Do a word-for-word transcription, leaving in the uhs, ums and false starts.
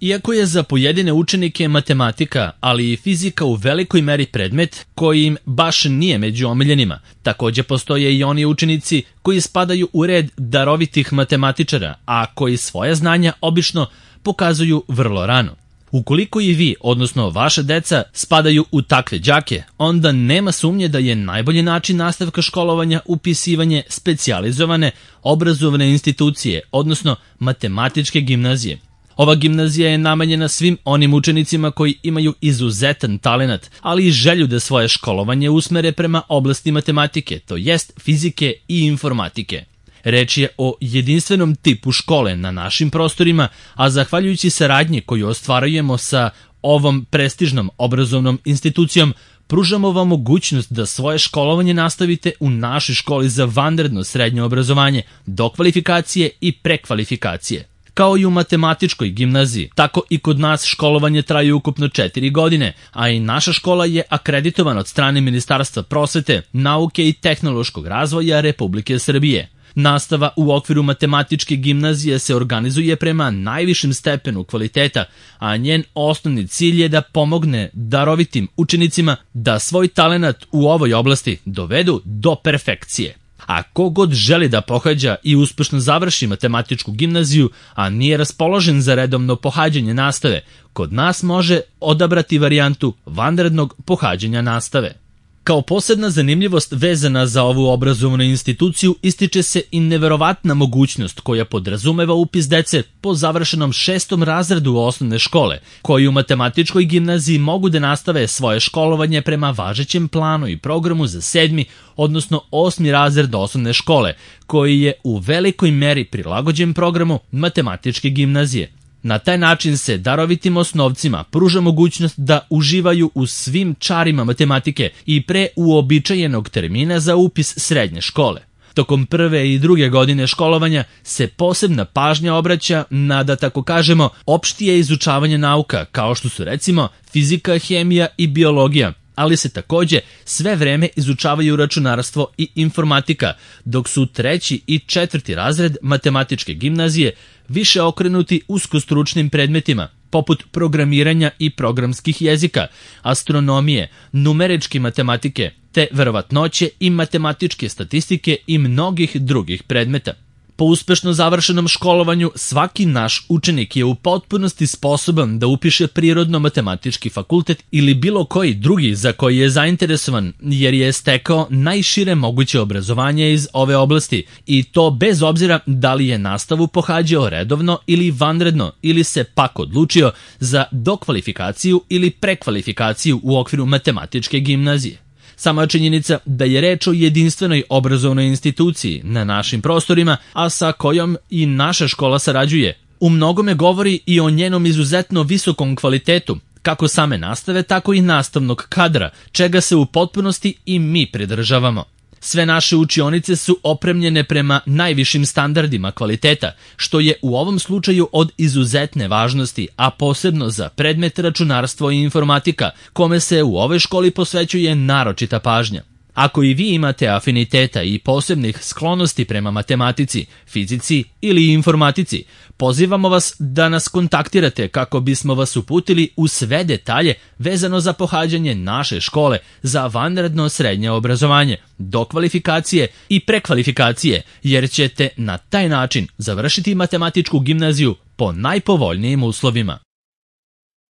Iako je za pojedine učenike matematika, ali i fizika u velikoj meri predmet koji im baš nije među omiljenima, takođe postoje i oni učenici koji spadaju u red darovitih matematičara, a koji svoje znanja obično pokazuju vrlo rano. Ukoliko i vi, odnosno vaša deca, spadaju u takve đake, onda nema sumnje da je najbolji način nastavka školovanja upisivanje specijalizovane obrazovne institucije, odnosno matematičke gimnazije. Ova gimnazija je namenjena svim onim učenicima koji imaju izuzetan talenat, ali i želju da svoje školovanje usmere prema oblasti matematike, to jest fizike i informatike. Reč je o jedinstvenom tipu škole na našim prostorima, a zahvaljujući saradnji koju ostvarujemo sa ovom prestižnom obrazovnom institucijom, pružamo vam mogućnost da svoje školovanje nastavite u našoj školi za vanredno srednje obrazovanje, dokvalifikacije i prekvalifikacije. Kao i u matematičkoj gimnaziji, tako i kod nas školovanje traje ukupno četiri godine, a i naša škola je akreditovana od strane Ministarstva prosvete, nauke i tehnološkog razvoja Republike Srbije. Nastava u okviru matematičke gimnazije se organizuje prema najvišem stepenu kvaliteta, a njen osnovni cilj je da pomogne darovitim učenicima da svoj talenat u ovoj oblasti dovedu do perfekcije. A ko god želi da pohađa i uspešno završi matematičku gimnaziju, a nije raspoložen za redovno pohađanje nastave, kod nas može odabrati varijantu vanrednog pohađanja nastave. Kao posebna zanimljivost vezana za ovu obrazovnu instituciju ističe se i neverovatna mogućnost koja podrazumeva upis dece po završenom šestom razredu osnovne škole, koji u matematičkoj gimnaziji mogu da nastave svoje školovanje prema važećem planu i programu za sedmi, odnosno osmi razred osnovne škole, koji je u velikoj meri prilagođen programu matematičke gimnazije. Na taj način se darovitim osnovcima pruža mogućnost da uživaju u svim čarima matematike i pre uobičajenog termina za upis srednje škole. Tokom prve i druge godine školovanja se posebna pažnja obraća na, da tako kažemo, opštije izučavanje nauka, kao što su recimo fizika, hemija i biologija, ali se takođe sve vreme izučavaju računarstvo i informatika, dok su treći i četvrti razred matematičke gimnazije više okrenuti uskostručnim predmetima, poput programiranja i programskih jezika, astronomije, numeričke matematike, te verovatnoće i matematičke statistike i mnogih drugih predmeta. Po uspešno završenom školovanju, svaki naš učenik je u potpunosti sposoban da upiše prirodno-matematički fakultet ili bilo koji drugi za koji je zainteresovan, jer je stekao najšire moguće obrazovanje iz ove oblasti, i to bez obzira da li je nastavu pohađao redovno ili vanredno, ili se pak odlučio za dokvalifikaciju ili prekvalifikaciju u okviru matematičke gimnazije. Sama činjenica da je reč o jedinstvenoj obrazovnoj instituciji na našim prostorima, a sa kojom i naša škola sarađuje, u mnogome govori i o njenom izuzetno visokom kvalitetu, kako same nastave, tako i nastavnog kadra, čega se u potpunosti i mi pridržavamo. Sve naše učionice su opremljene prema najvišim standardima kvaliteta, što je u ovom slučaju od izuzetne važnosti, a posebno za predmet računarstvo i informatika, kome se u ovoj školi posvećuje naročita pažnja. Ako i vi imate afiniteta i posebnih sklonosti prema matematici, fizici ili informatici, pozivamo vas da nas kontaktirate kako bismo vas uputili u sve detalje vezano za pohađanje naše škole za vanredno srednje obrazovanje, dokvalifikacije i prekvalifikacije, jer ćete na taj način završiti matematičku gimnaziju po najpovoljnijim uslovima.